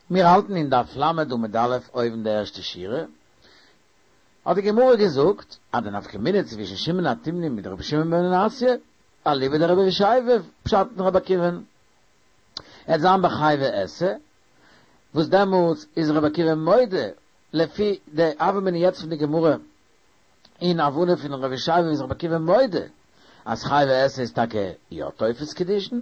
מיר האלטן אין דף ל' עמוד א' אויבן די ערשטע שורה, האט די גמרא געזאגט אז די נפקא מינה צווישן שמעון התימני מיט רבי שמעון בן מנסיא, אליבא דרבי ישעי' פשט אין רבי עקיבא'ן, עט זיין בחייבי עשה, וואס דעמאלטס איז רבי עקיבא מודה לפי די הוה אמינא יעצט פון די גמרא אין הבנה פון רבי ישעי' איז רבי עקיבא מודה אז חייבי עשה איז טאקע יא תופס קידושין,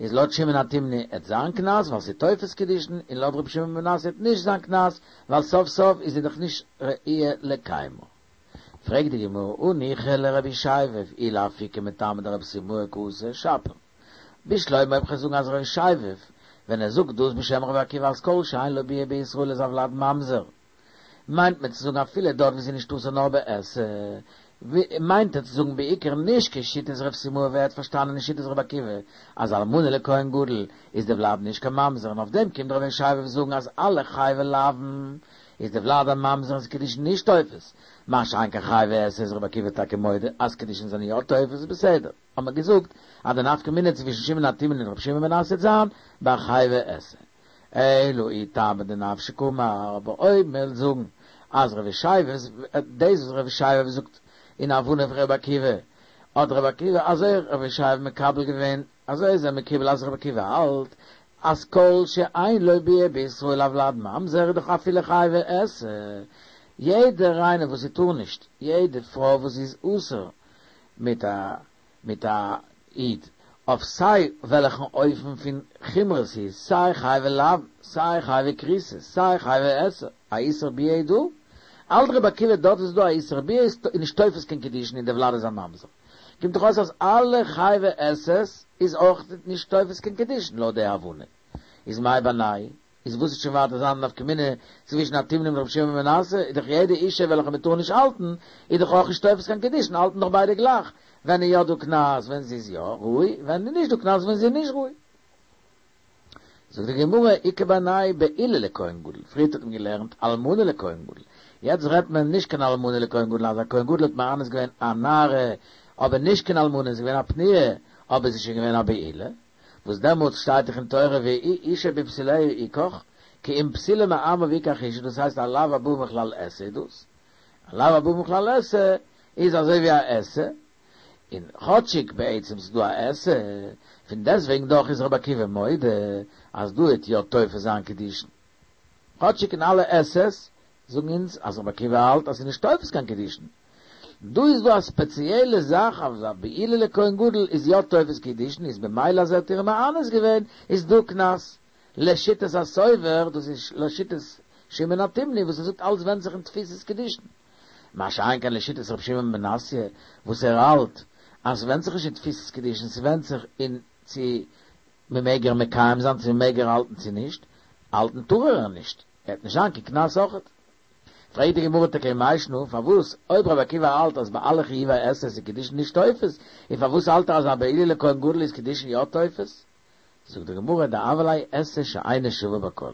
איז לויט שמעון התימני עט זיין קנס ווייל ס'איז תופס קידושין, און לויט רבי שמעון בן מנסיא עט נישט זיין קנס ווייל סוף סוף איז זי דאך נישט ראויה לקיימו. פרעגט די גמרא הניחא לרבי ישעי' אי לאפוקי מטעמא דרב סימאי קאתי שפיר. בשלמא אויב כ'וועל זאגן אז רבי ישעי' ווען ער זאגט דאס בשם רבי עקיבא אז כל שאין לו ביאה בישראל איז הולד ממזר, מיינט מען צו זאגן אפילו דארט ווי ס'איז נישט אסור נאר בעשה, מיינט ער צו זאגן בעיקר נישט כשיטת רב סימאי ווי ער האט פארשטאנען אין שיטת רבי עקיבא אז אלמנה לכהן גדול איז די ולד נישט קיין ממזר און אויף דעם קומט רבי ישעי' זאגן אז אלע חייבי לאוין איז די ולד א ממזר און ס'איז קידושין נישט תופס, מה שאין כן חייבי עשה איז רבי עקיבא טאקע מודה אז קידושין זענען יא תופס בסדר האט מען געזאגט אז די נפקא מינה צווישן שמעון התימני און רבי שמעון בן מנסיא עט זיין ביי חייבי עשה. אלא אי טעמא דנפשיה קאמר, אבער אויב מען וויל זאגן אז רבי ישעי' דאס וואס רבי ישעי' זאגט אין הבנה פון רבי עקיבא, האט רבי עקיבא אזוי רבי ישעי' מקבל געווען, אזוי איז ער מקובל אז רבי עקיבא האלט אז כל שאין לו ביאה בישראל הולד ממזר איז דאך אפילו חייבי עשה, יעדער איינער וואס זי טאר נישט, יעדע פרוי וואס זי איז אסור מיט א מיט א איד, אויף סיי וועלעכן אופן פון חומרא ס'איז, סיי חייבי לאוין, סיי חייבי כריתות, סיי חייבי עשה, א איסור ביאה איז דא? האלט רבי עקיבא דארט איז דא א איסור ביאה איז נישט תופס קיין קידושין און די ולד איז א ממזר. קומט דאך אויס אז אלע חייבי עשה'ס איז אויך נישט תופס קיין קידושין לויט די הבנה. איז מאי בינייהו? איז וואס וועט שוין ווייטער זיין די נפקא מינה צווישן התימני מיט רבי שמעון בן מנסיא, איז דאך יעדע אישה וועלכע מען טאר נישט האלטן, איז דאך אויך נישט תופס קיין קידושין, האלטן דאך ביידע גלייך, ווען איז יא דא קנס ווען זי איז יא ראוי, ווען איז נישט דא קנס ווען זי איז נישט ראוי. זאגט די גמרא, איכא בינייהו בעולה לכהן גדול, פריערט האט מען געלערנט אלמנה לכהן גדול, יעצט רעדט מען נישט קיין אלמנה לכהן גדול, אז א כהן גדול האט מאנס געווען א נערה, אבער נישט קיין אלמנה, זי איז געווען א פנויה, אבער זי איז שוין געווען א בעולה, וואס דעמאלטס שטייט דאך אין תורה ואשה בבתוליה יקח, כי אם בתולה מעמיו יקח אשה, דאס הייסט א לאו הבא מכלל עשה איז דאס, א לאו הבא מכלל עשה איז אזוי ווי א עשה, און כאטשיג בעצם ס'איז דא א עשה, פון דעסטוועגן דאך איז רבי עקיבא מודה אז דא העט יא תופס זיין קידושין, כאטשיג אין אלע עשה'ס זאגן אונז אז רבי עקיבא האלט אז ס'איז נישט תופס קיין קידושין, דא איז דא א ספעציעלע זאך אז א בעולה לכהן גדול איז יא תופס קידושין איז במילא אז ער האט איר מאנס געווען איז דא קנס לשיטת הסובר דאס איז לשיטת שמעון התימני וואס ער זאגט אלץ ווענדט זיך אין תפיסת קידושין מה שאין כן לשיטת רבי שמעון בן מנסיא וואס ער האלט אז ס'ווענדט זיך נישט אין תפיסת קידושין ס'ווענדט זיך אין צו מ'מעג איר מקיים זיין צו מ'מעג איר האלטן צו נישט האלטן טאר ער איר נישט עט נישט זיין קיין קנס אויכעט. פרעגט די גמרא טאקע מאי שנא, פארוואס אויב רבי עקיבא האלט אז ביי אלע חיובי עשה איז קידושין נישט תופס, און פארוואס האלט ער אז א בעולה לכהן גדול איז קידושין יא תופס? זאגט די גמרא דהוה ליה עשה שאינה שווה בכל.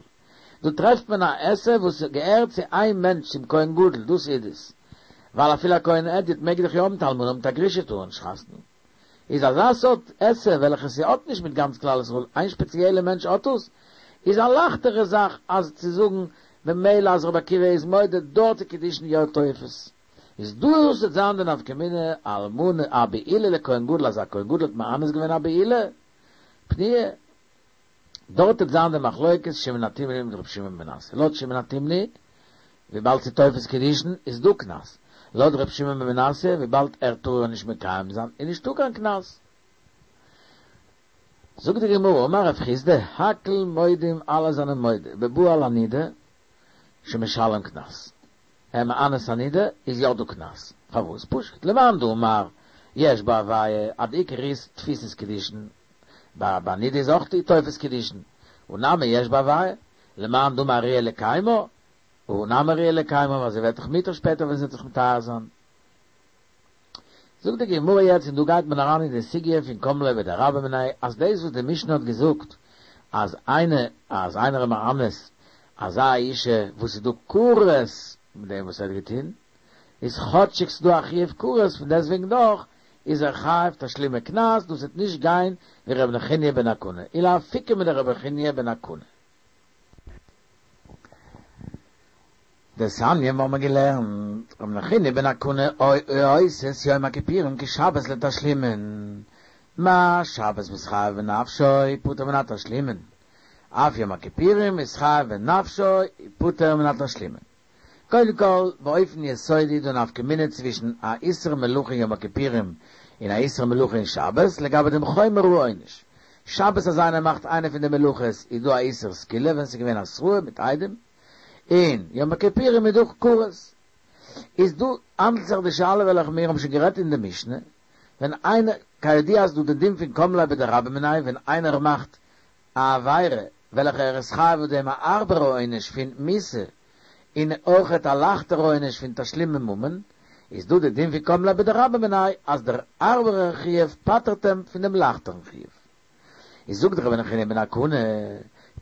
דא טרעפט מען א עשה וואס געהערט צו איין מענטש צום כהן גדול, דאס איז עס. ווייל אפילו א כהן הדיוט מעג דאך יא האבן אן אלמנה מיט א גרושה טאר ער נישט חתונה. איז אזא סארט עשה וועלכע ס'האט נישט מיט גאנץ כלל ישראל, איין שפעציעלע מענטש האט עס, איז א לייכטערע זאך אז צו זאגן במילא אז רבי עקיבא איז מודה דארט איז קידושין יא תופס. איז דאס וועט זיין די נפקא מינה אלמנה א בעולה לכהן גדול אז א כהן גדול האט מאנס געווען א בעולה פנויה דארט וועט זיין די מחלוקת שמעון התימני מיט רבי שמעון בן מנסיא לויט שמעון התימני וויבאלד ס'איז תופס קידושין איז דא קנס, לויט ר' שמעון בן מנסיא וויבאלד ער טאר איר נישט מקיים זיין איז נישטא קיין קנס. זאגט די גמרא אמר רב חסדא הכל מודים אלע זענען מודה בבא על הנידה שמשלם קנס, ער מאנס א נידה איז יא דא קנס, פארוואס? פשוט למאן דאמר יש בו הוויה אז די עיקר איז תפיסת קידושין, ביי נידה איז אויך תופס קידושין, הא נמי יש בו הוויה, למאן דאמר ראויה לקיימה, הא נמי ראויה לקיימה ווייל זי ווערט דאך מותר שפעטער ווען זי וועט זיך מטהר זיין. זאגט די גמרא יעצט און דא גייט מען אריין אין די סוגיא פון קם ליה בדרבה מיניה אז דאס וואס די משנה האט געזאגט אז איינער אז איינער איז מאנס אזא אישה וואס איז דא כרת מיט דעם וואס ער האט געטון איז כאטשיג ס'דא א חיוב כרת פון דעסטוועגן דאך איז ער חייב תשלומי קנס דאס וועט נישט גיין ווי ר' נחוניא בן הקנה ולאפוקי מדר' נחוניא בן הקנה. דתניא מיר האבן געלערנט, רבי נחוניא בן הקנה עושה את יום הכיפורים כשבת לתשלומין, מה שבת מתחייב בנפשו פטור מן התשלומין, אף יום הכיפורים מתחייב בנפשו פטור מן התשלומין. קודם כל, באופן יסודי דא נפקא מינה צווישן א איסור מלאכה יום הכיפורים און א איסור מלאכה אין שבת לגבי דעם חומר העונש. שבת אז איינער מאכט איינע פון די מלאכות איז דא א איסור סקילה ווען ס'איז געווען התראה מיט עדים, און יום הכיפורים איז דא כרת. איז דא האנדלט זיך די שאלה וועלכע מיר האבן שוין גערעדט אין די משנה, ווען איינער, כידוע איז דא די דין פון קם ליה בדרבה מיניה ווען איינער מאכט א עבירה וועלכע ער איז חייב אויף דעם א הארבערע עונש פון מיתה און אויכעט א לייכטערע עונש פון תשלומי ממון, איז דא די דין פון קם ליה בדרבה מיניה אז דער הארבערער חיוב פטר'ט אים פון דעם לייכטערן חיוב. איז זאגט רבי נחוניא בן הקנה,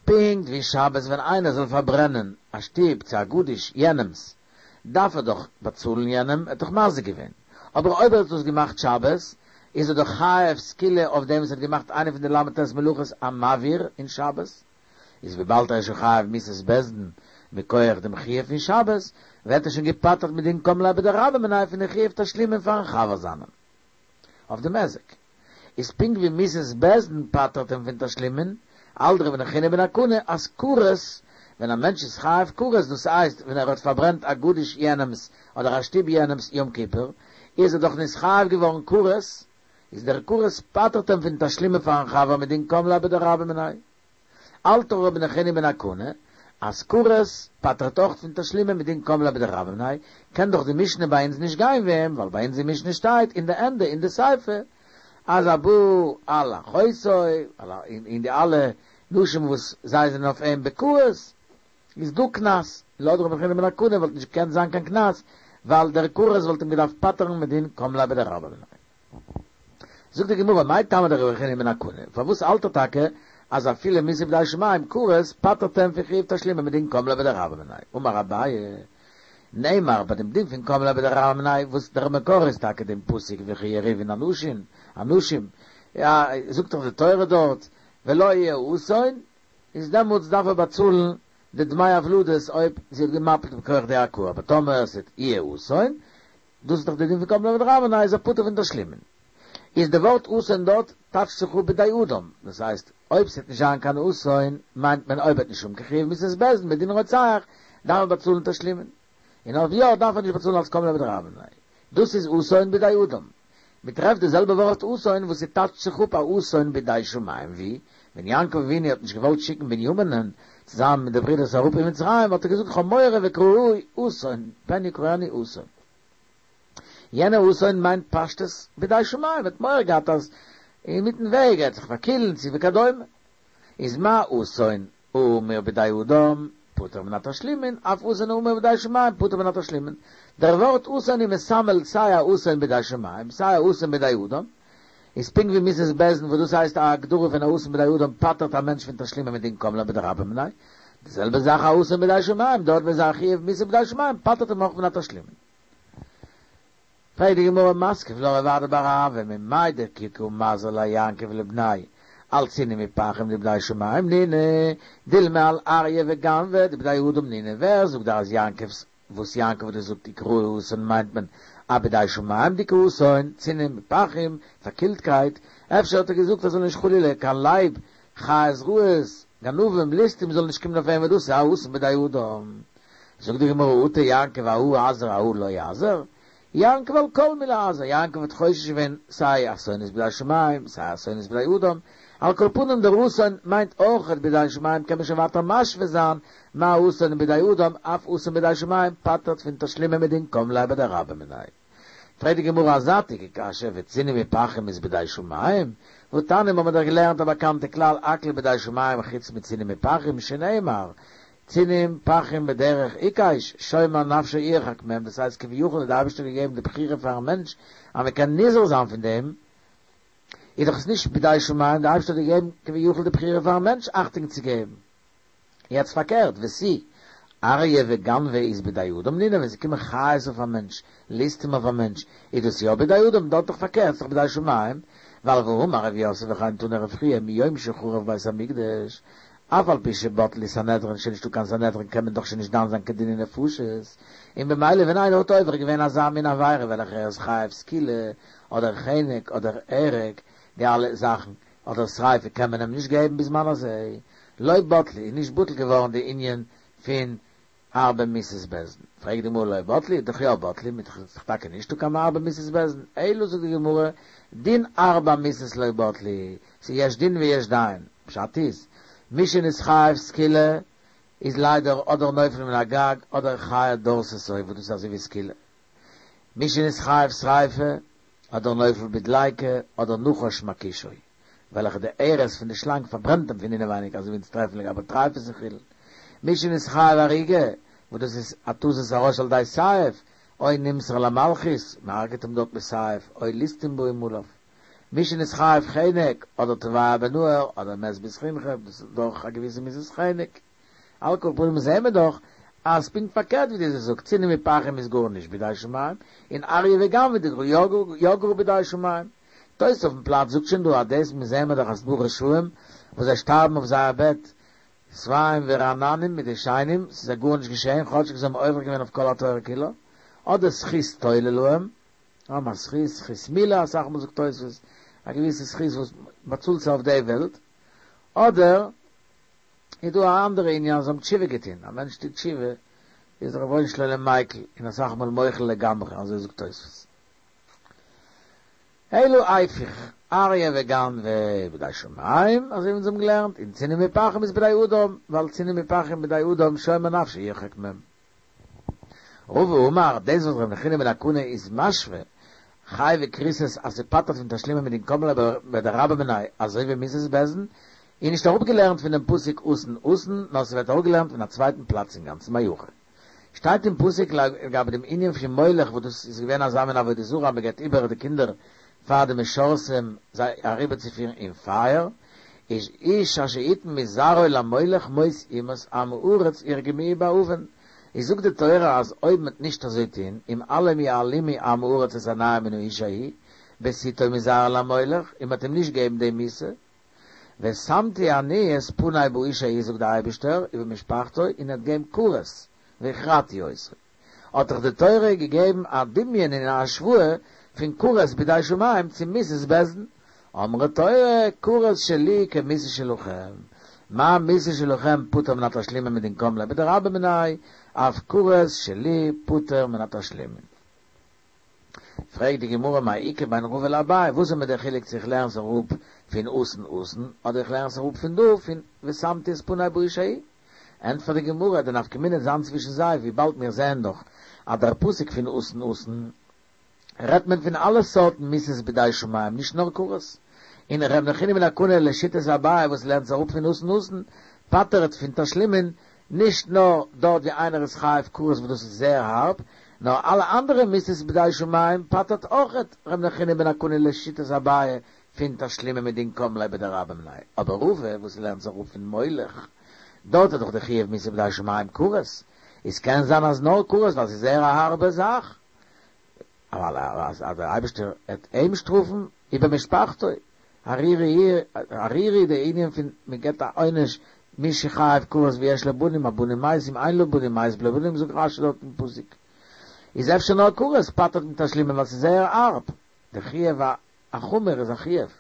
פונקט ווי שבת ווען איינער זאל פארברענען א שטוב צו א גדיש יענעמ'ס, דארף ער דאך באצאלן יענעם, ער האט דאך מזיק געווען. אבער אויב ער האט דאס געמאכט שבת, איז ער דאך חייב סקילה אויף דעם וואס האט געמאכט איינע פון די ל"ט מלאכות המבעיר אין שבת. איז וויבאלד ער איז שוין חייב מיתת בית דין מכח דעם חיוב פון שבת, ווערט ער שוין געפטר'ט מדין קם ליה בדרבה מיניה פון די חיוב תשלומין פאר'ן חבר זיינעם אויף דעם היזק. איז פונקט ווי מיתת בית דין פטר'ט אים פון תשלומין, האלט רבי נחוניא בן הקנה אז כרת, ווען א מענטש איז חייב כרת, דאס הייסט ווען ער האט פארברענט א גדיש יענעמ'ס אדער א שטוב יענעמ'ס יום כיפור, איז ער דאך נתחייב געווארן כרת, איז דער כרת פטר'ט אים פון תשלומין פאר'ן חבר מדין קם ליה בדרבה מיניה. האלט רבי נחוניא בן הקנה אז כרת פטר'ט אויך פון תשלומין מדין קם ליה בדרבה מיניה, קען דאך די משנה ביי אונז נישט גיין ווי אים, ווייל ביי אונז אין משנה שטייט אין די ענדע אין די סיפא אז הבא על אחותו און די אלע נשים וואס זיי זענען אויף אים בכרת איז דא קנס, לויט רבי נחוניא בן הקנה וואלט נישט געקענט זיין קיין קנס ווייל דער כרת וואלט אים געדארפט פטר'ן מדין קם ליה בדרבה מיניה. זאגט די גמרא, מאי טעמא דרבי נחוניא בן הקנה, פארוואס האלט ער טאקע אז אפילו מיתה בידי שמים כרת פטר'ט אים פון חיוב תשלומין מדין קם ליה בדרבה מיניה? אמר אביי, נאמר ביי דעם דין פון קם ליה בדרבה מיניה, וואס דער מקור איז טאקע דעם פסוק וכי יריבון אנשים, אנשים, יא, זאגט דאך די תורה דארט, ולו יהיה אסון, איז דעמאלטס דארף ער באצאלן די דמי הוולדות אויב זי האט געמפילט מכח די הכאה, אבער טאמער עס וועט יהיה אסון, דאס איז דאך די דין פון קם ליה בדרבה מיניה איז ער פטור פון תשלומין. איז די ווארט אסון דארט טייטשט זיך אפ בידי אדם, דאס הייסט אויב ס'וועט נישט זיין קיין אסון מיינט מען אויב ער וועט נישט האבן קיין חיוב מיתת בית דין מדין רוצח דארף ער באצאלן תשלומין, און אויב יא דארף ער נישט באצאלן אלס קם ליה בדרבה מיניה. דאס איז אסון בידי אדם. מ'טרעפט די זעלבע ווארט אסון וואס ס'טייטשט זיך אפ א אסון בידי שמים ווי ווען יעקב אבינו האט נישט געוואלט שיקן בנימינ'ן צוזאמען מיט די ברידערס אראפ אין מצרים האט ער געזאגט כ'האב מורא וקראוהו אסון פן יקראנו אסון. יענע אסון מיינט פשטות בידי שמים ער האט מורא געהאט אז אינמיטן וועג ער וועט זיך פארקילן צו וכדומה איז מה אסון האמור בידי אדם פטור מן התשלומין, אף אסון האמור בידי שמים פטור מן התשלומין. דער ווארט אסון איז מסמל סיי א אסון בידי שמים סיי א אסון בידי אדם, איז פונקט ווי מיתת בית דין וואס דאס הייסט א הגדרה פון א אסון בידי אדם פטר'ט א מענטש פון תשלומין מדין קם ליה בדרבה מיניה, די זעלבע זאך א אסון בידי שמים דארט ווען ס'איז א חיוב מיתה בידי שמים פטר'ט אים אויך מן התשלומין. פרעגט די גמרא מתקיף לה רב אדא בר אהבה ממאי דכי קא מזהר ליה יעקב לבניה על צינים ופחים דבידי שמים נינהו דילמא על אריה וגנבא דבידי אדם נינהו ווער זאגט דיר אז יעקב'ס וואס יעקב האט געזאגט יקראוהו אסון מיינט מען א בידי שמים'דיגע אסון צינים ופחים פארקילטקייט אפשר האט ער געזאגט אז זאל נישט חלילה קיין לייב חיות רעות גנבים ליסטים זאלן נישט קומען אויף אים וואס דאס איז א אסון בידי אדם זאגט די גמרא אטו יעקב אהא אזהר אהא לא אזהר יעקב על כל מילי אזהר, יעקב האט חושש געווען סיי אסונות בידי שמים סיי אסונות בידי אדם, על כל פנים דער אסון מיינט אויכעט בידי שמים קען מען שוין ווייטער משווה זיין מה אסון בידי אדם אף אסון בידי שמים פטר'ט פון תשלומין מדין קם ליה בדרבה מיניה. פרעגט די גמרא א זייטיגע קשיא וצינים ופחים איז בידי שמים? והתניא האבן מיר דאך געלערנט א באקאנטע כלל הכל בידי שמים חוץ מצינים ופחים שנאמר צינים פחים בדרך עיקש, שומר נפשו ירחק מהם, דאס הייסט כביכול האט די אייבערשטער געגעבן די בחירה פארן מענטש אז מען קען נזהר זיין פון דעם, איז דאך עס נישט בידי שמים, די אייבערשטער האט געגעבן כביכול די בחירה פארן מענטש אכטונג צו געבן. יעצט פארקערט, ותו, אריה וגנבא איז בידי אדם נינהו, ווען ס'קומען חיות אויף א מענטש, ליסטים אויף א מענטש, איז דאס יא בידי אדם, דארט דאך פארקערט, ס'דאך בידי שמים, ווייל והאמר רב יוסף וכן תנא רב חייא מיום שחרב בית המקדש. אף על פי שבטלו סנהדרין שוין נישטא קיין סנהדרין קען מען דאך שוין נישט דן זיין קיין דיני נפשות, און במילא ווען איינער האט עובר געווען אזא מין עבירה וועלכע ער איז חייב סקילה אדער חנק אדער הרג די אלע זאכן אדער שריפה קען מען אים נישט געבן בזמן הזה, לא בטלו איז נישט בטל געווארן די ענין פון ארבע מיתות בית דין. פרעגט די גמרא לא בטלו, דאך יא בטלו, מיט איז דאך טאקע נישטא קיין ארבע מיתות בית דין, אלא זאגט די גמרא, דין ארבע מיתות לא בטלו, ס'איז יש דין ויש דיין, פשט איז, מי שנתחייב סקילה איז ליידער אדער נופל מן הגג אדער חיה דורסתו וואס דאס איז אזוי ווי סקילה, מי שנתחייב שריפה אדער נופל בדליקה אדער נחש מכישו. וועלכע די ארס פון די שלאנג פארברענט אים פון אינעווייניג אזוי ווי אונז טרעפן לגבי טריפות און חולין. מי שנתחייב הריגה, וואס דאס איז התזת הראש על ידי סייף, או נמסר למלכות, מען הרג'ט אים דארט מיט סייף, או ליסטים באים עליו. מי שנתחייב חנק, אדער טובע בנהר, אדער מת בסכימכא, דאס איז דאך א געוויסע מיתת חנק. על כל פנים זעהן מיר דאך אז פונקט פארקערט ווי דו זאגסט צינון ופחים איז גארנישט בידי שמים, און אריה וגנבא יא גאר בידי שמים. תוס' אויפן פלאץ זאגט שוין דא אז דאס מיר זעהן מיר דאך אז ס'דא רשעים וואס זיי שטארבן אויף זייער בעט שבעים ורעננים מיט דשנים, ס'איז זיי גארנישט געשעהן כאטשיג זיי האבן עובר געווען אויף כל התורה כולה, אדער זכות תולה להם, האבן א זכות, זכות מילה אסאך מאל זאגט תוס', א געוויסע זכות וואס באצאלט זיי אויף די וועלט, אדער איז דא א אנדערע ענין אז זיי האבן תשובה געטון, א מענטש טוט תשובה איז דער רבונו של עולם מיקל און אסאך מאל מוחל לגמרי, אזוי זאגט תוספות. אלא איפוך, אריה וגנבא בידי שמים, אזוי ווי אונז האבן געלערנט, און צינון ופחים איז בידי אדם, ווייל צינון ופחים בידי אדם שומר נפשו ירחק מהם. רבא אמר, דאס וואס ר' נחוניא בן הקנה איז משווה חייבי כריתות אז ס'פטר'ט פון תשלומין מדין קם ליה בדרבה מיניה אזוי ווי מיתת בית דין, איז נישט אראפגעלערנט פון דעם פסוק אתון אתון, נאר ס'ווערט אראפגעלערנט פון א צווייטן פלאץ אינגאנצן מהיכא. שטייט אין פסוק לגבי דעם ענין פון מולך וואס דאס איז געווען אזא מין עבודה זרה אז מ'געבט איבער די קינדער פאר די משרתים זיי אריבערצופירן אין פייער, איז איש אשר יתן מזרעו למולך מות יומת עם הארץ ירגמוהו באבן, איז זאגט די תורה אז אויב מ'וועט נישט אזוי טוהן, אם אלם יעלימו עם הארץ את עיניהם מן האיש ההוא, בתתו מזרעו למולך, און מ'וועט אים נישט געבן די מיתה, ושמתי אני את פני באיש ההוא זאגט דער אייבערשטער ובמשפחתו און ער וועט געבן כרת והכרתי אותו. האט דאך די תורה געגעבן א דמיון און א השוואה פון כרת בידי שמים צו מיתת בית דין, אמרה תורה כרת שלי כמיתה שלכם, מה מיתה שלכם פטור מן התשלומין מדין קם ליה בדרבה מיניה, אף כרת שלי פטור מן התשלומין. פרעגט די גמרא מאי איכא בין רבא לאביי, וואס איז מיר דער חילוק צו איך לערן עס אראפ פון אתון אתון, אדער איך לערן עס אראפ פון דא פון ושמתי את פני באיש ההוא? ענטפערט די גמרא, די נפקא מינה וועט זיין צווישן זיי, וויבאלד מיר זעען דאך אז דער פסוק פון אתון אתון רעדט מען פון אלע סארטן מיתות בידי שמים, נישט נאר כרת. און ר' נחוניא בן הקנה לשיטת אביי וואס לערנט עס אראפ פון אתון אתון, פטר'ט פון תשלומין נישט נאר דארט ווי איינער איז חייב כרת וואס דאס איז זייער הארב, נאר אלע אנדערע מיתות בידי שמים פטר'ט אויכעט ר' נחוניא בן הקנה לשיטת אביי פון תשלומין מדין קם ליה בדרבה מיניה, אבער רבא וואס לערנט עס אראפ פון מולך, דארט איז דאך די חיוב מיתה בידי שמים כרת, איז קען זיין אז נאר כרת ווייל ס'איז זייער א הארבע זאך, אבל אז דער אייבערשטער העט אים שטראפן ובמשפחתו, ערירי ערירי די ענין פון מען געבט א עונש מי שחייב כרת ויש לו בנים הבנים מתים אין לו בנים מת בלא בנים זאגט רשי דארט אין פסוק איז אפשר נאר כרת פטר'ט מתשלומין ווייל ס'איז זייער הארב די חיוב החמור איז א חיוב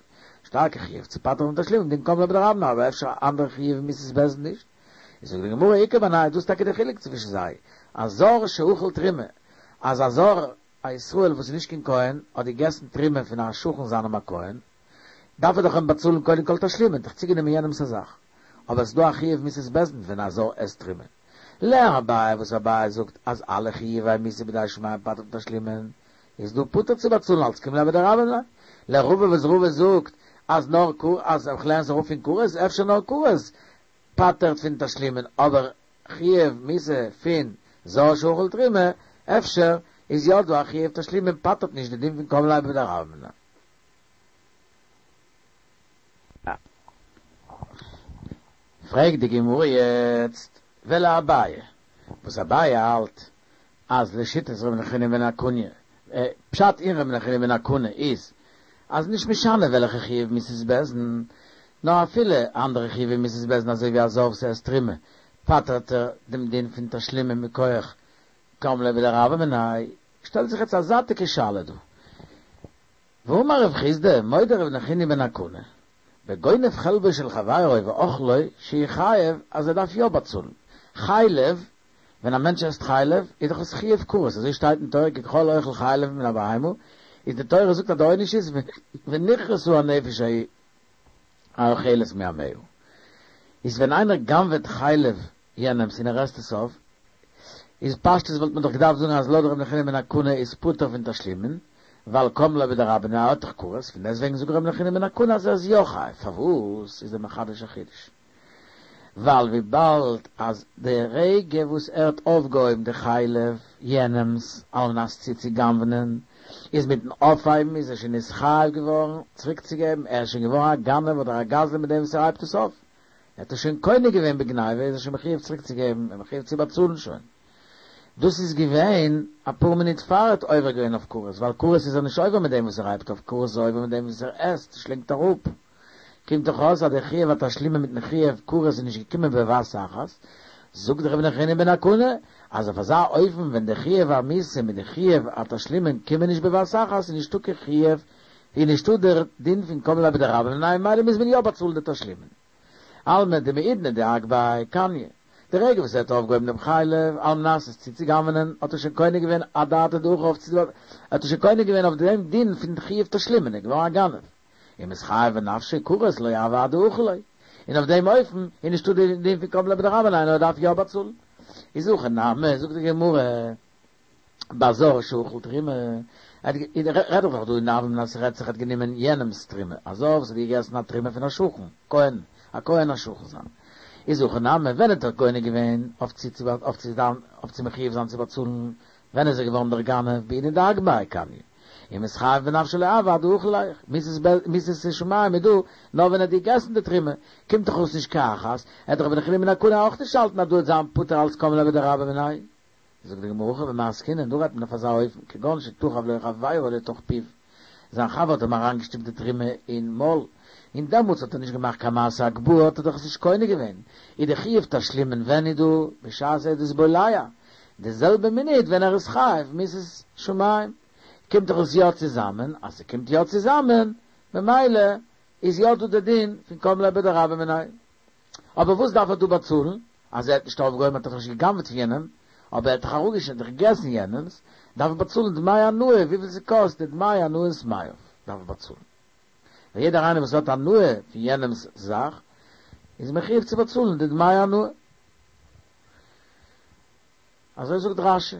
שטארקע חיוב צו פטר'ן פון תשלומין דין קם ליה בדרבה מיניה אבער אפשר אנדערע חיוב מיתות בית דין נישט איז זאגט די גמרא איכא בינייהו דאס איז טאקע די חילוק צווישן זיי א זר שאכל תרומה אז א זר א ישראל וואס איז נישט קיין כהן האט געגעסן תרומה פון א שכן זיינעם א כהן, דארף ער דאך אים באצאלן קודם כל תשלומין, דאך צוגענומען יענעמס א זאך. אבער עס איז דא א חיוב מיתת בית דין ווען א זר עסט תרומה. לאביי וואס אביי זאגט אז אלע חיובי מיתה בידי שמים פטר'ט מתשלומין, איז דא פטור צו באצאלן אלץ קים ליה בדרבה מיניה. לרבא וואס רבא זאגט אז נאר אז איך לערן עס אראפ פון כרת, אפשר נאר כרת פטר'ט פון תשלומין, אבער חיוב מיתה פון זר שאכל תרומה, אפשר איז יא דא א חיוב תשלומין פטר'ט נישט די דין פון קם ליה בדרבה מיניה. פרעגט די גמרא יעצט ולאביי, וואס אביי האלט אז לשיטת ר' נחוניא בן הקנה, פשט אין ר' נחוניא בן הקנה איז אז נישט משנה וועלכע חיוב מיתת בית דין. נאר אפילו אנדערע חיובי מיתות בית דין אזוי ווי א זר וואס עסט תרומה פטר'ט ער דעם דין פון תשלומין מכח קם ליה בדרבה מיניה, שטעלט זיך יעצט א זייטיגע שאלה דא. ואמר רב חסדא, מודה ר' נחוניא בן הקנה, בגונב חלבו של חברו ואוכלו שהוא חייב אז ער דארף יא באצאלן. חלב, ווען א מענטש עסט חלב איז דאך עס חיוב כרת, אזוי שטייט אין תורה כי כל אוכל חלב מן הבהמה, איז די תורה זאגט אז די עונש איז ונכרתה הנפש האוכלת מעמיה. איז ווען איינער גנב'עט חלב יענעמס און ער עסט עס אויף, איז פשטות וואלט מען דאך געדארפט זאגן אז לויט ר' נחוניא בן הקנה איז פטור פון תשלומין, ווייל קם ליה בדרבה מיניה האט דאך כרת, פון דעסטוועגן זאגט ר' נחוניא בן הקנה אז ער איז יא חייב, פארוואס איז ער מחדש א חידוש? ווייל וויבאלד אז די רגע וואס ער האט אויפגעהויבן די חלב יענעמס על מנת צו צו גנב'נען, איז מיטן אויפהייבן איז ער שוין נתחייב געווארן צוריקצוגעבן, ער איז שוין געווארן א גנב אדער א גזלן מיט דעם וואס ער הייבט עס אויף, ער האט עס שוין קונה געווען בגניבה איז ער שוין מחויב צוריקצוגעבן, ער מחויב צו באצאלן שוין. דאס איז געווען אפאר מינוט פאר ער האט עובר געווען אויף כרת, ווייל כרת איז ער נישט עובר מיט דעם וואס ער הייבט אויף, כרת איז ער עובר מיט דעם וואס ער עסט, שלינגט אראפ. קומט דאך אויס אז די חיוב התשלומין מיטן חיוב כרת איז נישט געקומען בבת אחת, זאגט רבי נחוניא בן הקנה אז אויף אזא אופן ווען די חיוב המיתה מיט די חיוב התשלומין קומען נישט בבת אחת איז נישטא קיין חיוב איז נישטא דער דין פון קם ליה בדרבה מיניה ממילא מוז מען יא באצאלן די תשלומין. אלמא דבעידנא דאגבהיה קניה. די רגע וואס ער האט אויפגעהויבן דעם חלב על מנת עס צו צוגנב'נען האט ער שוין קונה געווען אדעתא דהכי אויף צו האט ער שוין קונה געווען אויף דעם דין פון חיוב תשלומין איז געווארן א גנב. ומתחייב בנפשיה כרת לא הוה עד דאכיל ליה. און אויף דעם אופן איז נישטא די דין פון קם ליה בדרבה מיניה נאר ער דארף יא באצאלן. איז הכא נמי זאגט די גמרא. בזר שאכל תרומה, רעדט זיך דאך דא אין הוה אמינא אז ס'רעדט זיך ער האט גענומען יענעמ'ס תרומה, א זר וואס האט געגעסן א תרומה פון א שכן, כהן, א כהן א שכן זיין, איז הכא נמי, ווען האט ער קונה געווען אויף צו אויף צו אויף צו מחויב זיין צו באצאלן, ווען איז ער געווארן דער גנב, בעידנא דאגבהיה קניה, ומתחייב בנפשיה לא הוה עד דאכיל ליה, מיתת שמים איז דא נאר ווען ער האט געגעסן די תרומה, קומט דאך אויס נישט כאחת, וועט דאך רבי נחוניא בן הקנה אויך נישט האלטן אז דא וועט זיין פטור אלץ קם ליה בדרבה מיניה. זאגט די גמרא הכא במאי עסקינן, דא רעדט מען אויף אזא אופן, כגון שתחב לו חבירו לתוך פיו, זיין חבר האט אים אריינגעשטופט די תרומה אין מויל, און דעמאלטס האט ער נישט געמאכט קיין מעשה הגבהה האט ער דאך עס נישט קונה געווען, איז די חיוב תשלומין ווען איז דא? בשעת ער איז דאס בולע, די זעלבע מינוט ווען ער איז חייב מיתת שמים, קומט דאך עס יא צוזאמען, אז ס'קומט יא צוזאמען, ממילא איז יא דא די דין פון קם ליה בדרבה מיניה. אבער וואס דארף ער דא באצאלן? אז ער האט נישט אויפגעהויבן האט ער דאך נישט גע'גנב'ט פון יענעם, אבער ער האט דאך אראפגעשניטן און געגעסן יענעמס, דארף ער באצאלן דמי הנאה וויפיל ס'קאסט די דמי הנאת מעיו דארף ער באצאלן. ווייל יעדער איינער וואס האט הנאה פון יענעמס זאך איז מחויב צו באצאלן די דמי הנאה. אזוי זאגט רש"י.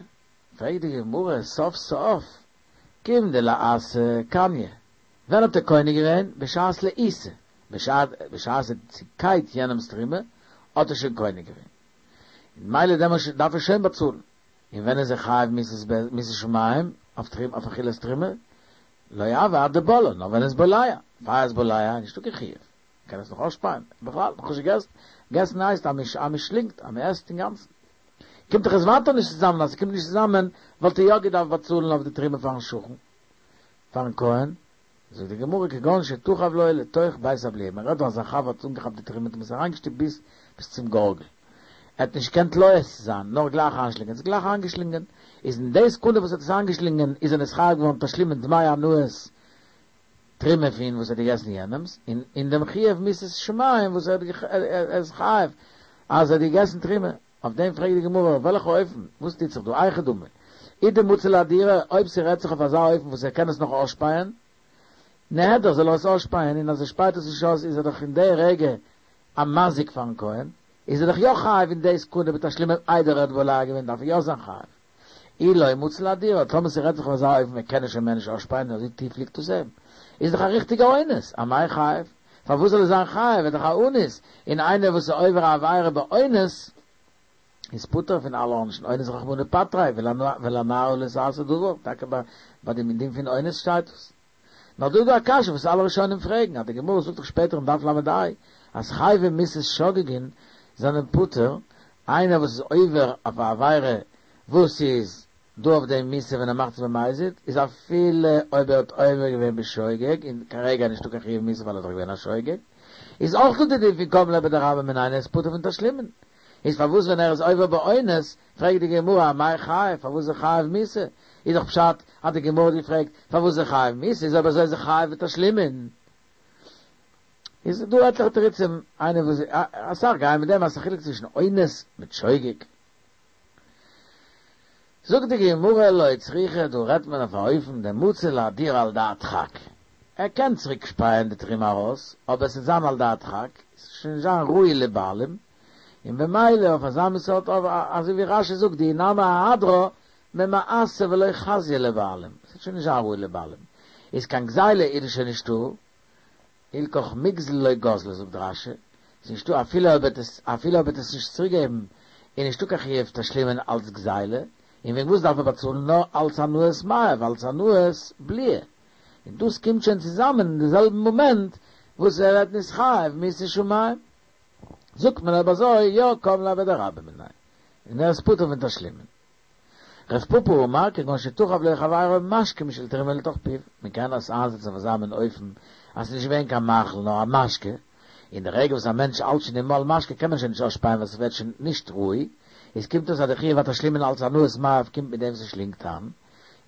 פרעגט די גמרא סוף סוף כיון דלאסה קניה, ווען האט ער קונה געווען? בשעת לעיסה, בשעת ער האט צוקייט יענעמס תרומה האט ער שוין קונה געווען, און ממילא דעמאלט דארף ער שוין באצאלן, און ווען איז ער חייב מיתת שמים אויף תרומה אויף אכילת תרומה? לא הוה עד דבלעה, נאר ווען ער איז בולע, פאר ער איז בולע איז נישטא קיין חיוב, מ'קען עס נאך אויסשפייען, בכלל נאך נישט געגעסן, געסן הייסט אז מ'שלינגט, אז מ'עסט אינגאנצן. קומט דאך עס ווייטער נישט צוזאמען, אז ס'קומט נישט צוזאמען וואלט ער יא געדארפט באצאלן אויף די תרומה פארן שכן, פארן כהן, זאגט די גמרא כגון שתחב לו לתוך בית הבליעה, מען רעדט דא אז זיין חבר האט אנגעכאפט די תרומה און עס אריינגעשטופט ביז ביז צום גארגל, ער האט נישט געקענט לועס זיין נאר גלייך איינשלינגען, עס גלייך איינגעשלינגען, איז אין די סעקונדע וואס ער האט עס איינגעשלינגען איז ער נתחייב געווארן תשלומין דמי הנאת תרומה פון וואס ער האט געגעסן יענעמס, און אין דעם חיוב מיתת שמים וואס ער איז חייב אז ער האט געגעסן תרומה. אויף דעם פרעגט די גמרא אויף וועלכע אופן, וואס טוט זיך דא, היכי דמי, אי דמצי לאהדורי, אויב ס'רעדט זיך אויף אזא אופן וואס ער קען עס נאך אויסשפייען, נהדר זאל ער עס אויסשפייען, און אז ער שפייט עס נישט אויס איז ער דאך אין די רגע א מזיק פארן כהן, איז ער דאך יא חייב אין די סעקונדע בתשלומין איידער ער האט בולע געווען דארף ער יא זיין חייב. אי לא מצי לאהדורי, טאמער ס'רעדט זיך אויף אזא אופן ער קען עס שוין מער נישט אויסשפייען אזוי טיף ליגט עס אים, איז דאך א ריכטיגע אונס, אמאי חייב? פארוואס זאל ער זיין חייב? ער איז דאך א אנוס, און איינער וואס איז עובר א עבירה באונס איז פטור פון אלע עונשים, אונס רחמנא פטריה, ולנערה לא תעשה דבר, טאקע ביי דעם דין פון אונס שטייט דאס. נאר דא איז דא א קשיא וואס אלע ראשונים פרעגן, אז די גמרא זאגט דאך שפעטער אין דף ל"ה אז חייבי מיתות שוגגין זענען פטור, איינער וואס איז עובר אויף א עבירה וואס איז דא אויף דעם מיתה ווען ער מאכט עס במזיד, איז אפילו אויב ער האט עובר געווען בשוגג, און כרגע איז נישטא קיין חיוב מיתה ווייל ער איז דאך געווען א שוגג, איז אויך דא די דין פון קם ליה בדרבה מיניה ער איז פטור פון תשלומין. איז פארוואס ווען ער איז עובר באונס פרעגט די גמרא אמאי חייב פארוואס איז ער חייב מיתה? איז דאך פשט אז די גמרא האט געפרעגט פארוואס איז ער חייב מיתה איז אויב אזוי איז ער חייב בתשלומין. איז דא עטליכע תירוצים איינער וואס אסאך גייען מיט דעם אז ס'איז א חילוק צווישן אונס מיט שוגג. זאגט די גמרא לא צריכא דא רעדט מען אויף א אופן דמצי לאהדורי על דעת דחק, ער קען צוריק שפייען די תרומה ארויס אבער עס וועט זיין על דעת דחק, עס וועט שוין נישט זיין ראוי לבעלים, און במילא אויף אזא מין סארט אופן אזוי ווי רש"י זאגט דאי נמי אהדרה ממאסה ולא חזיא לבעלים, עס וועט שוין נישט זיין ראוי לבעלים, איז קיין גזילה איז שוין נישטא, הילכך מיגזל לא גזלי זאגט רש"י, ס'איז נישטא אפילו אויב ער עס אפילו אויב ער וועט עס נישט צוריק געבן איז נישטא קיין חיוב תשלומין אלץ גזילה, און וועגן וואס דארף ער באצאלן נאר אלץ הנאת מעיו אלץ הנאת בליעה, און דאס קומט שוין צוזאמען אין די זעלבן מאמענט וואס ער ווערט נתחייב מיתת שמים, זאגט מען אויב אזוי יא קם ליה בדרבה מיניה, און ער איז פטור פון תשלומין. רב פפא אמר כגון שתחב לו חברו משקה משל תרומה לתוך פיו, מען קען עס איינזעצן אויף אזא מין אופן אז ס'איז נישט געווען קיין מאכל נאר א משקה, און די רגע וואס א מענטש האלט שוין אין מויל משקה קען מען שוין נישט אויסשפייען ווייל ס'ווערט שוין נישט ראוי, איז קומט אויס אז די חיוב התשלומין אלץ הנאת מעיו קומט מיט דעם וואס ער שלינגט איין,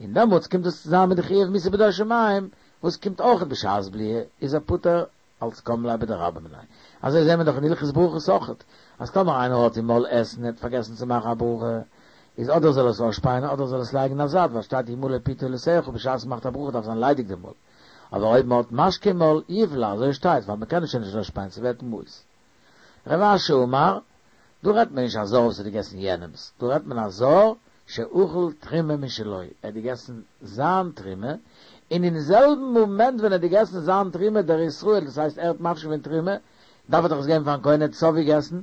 און דעמאלטס קומט דאס צוזאמען מיט די חיוב מיתה בידי שמים וואס קומט אויכעט בשעת בליעה, איז ער פטור אלס קם ליה בדרבה מיניה. אזוי זעהן מיר דאך אין הלכות ברכות אויכעט, אז טאמער איינער האט אין מויל עסן און האט פארגעסן צו מאכן א ברכה, איז אדער זאל ער עס אויסשפייען אדער זאל עס לייגן אין א זייט, ווייל שטייט ימלא פי תהלתך בשעת מ'מאכט א ברכה דארף זיין ליידיג די מויל. אבער אויב מ'האט משקה אין מויל, יבלע, אזוי שטייט, ווייל מ'קען עס שוין נישט אויסשפייען, ס'ווערט מיאוס. רב אשי אמר, דא רעדט מען נישט א זר וואס האט געגעסן יענעמס, דא רעדט מען א זר שאכל תרומה משלו, ער האט געגעסן זיין תרומה, און אין זעלבן מאמענט ווען ער האט געגעסן זיין תרומה דער ישראל, דאס הייסט ער האט מפריש געווען תרומה, דארף ער דאך עס געבן פארן כהן, ער האט עס אויפגעגעסן,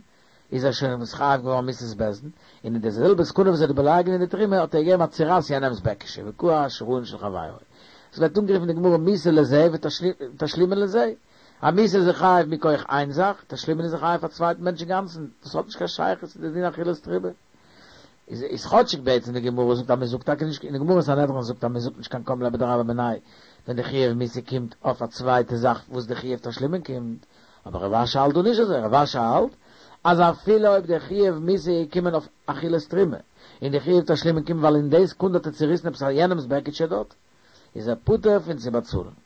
איז ער שוין נתחייב געווארן מיתת בית דין, און אין די זעלבע סעקונדע וואס ער האט בולע געווען די תרומה האט ער געגעבן א צורייס יענעמס בעקישע, וקרע שיריים של חברו. עס ווערט אנגערופן אין די גמרא מיתה לזה ותשלומין לזה. א מיתה איז ער חייב מכח איין זאך, תשלומין איז ער חייב פאר צווייטן מענטש אינגאנצן, דאס האט נישט קיין שייכות צו די דין אכילת תרומה. איז איז כאטשיג בעצם די גמרא זאגט אז מען זאגט טאקע נישט, אין די גמרא אין סנהדרין זאגט אז מען זאגט נישט קיין קם ליה בדרבה מיניה ווען די חיוב מיתה קומט אויף א צווייטע זאך וואס די חיוב תשלומין קומט, אבער רב אשי האלט דא נישט אזוי, רב אשי האלט אז אפילו אויב די חיוב מיתה איז געקומען אויף אכילת תרומה, און די חיוב תשלומין קומט ווייל אין די סעקונדע האט ער צוריסן עפעס א יענעמס בעקיטשע דארט, איז ער פטור פון צו באצאלן.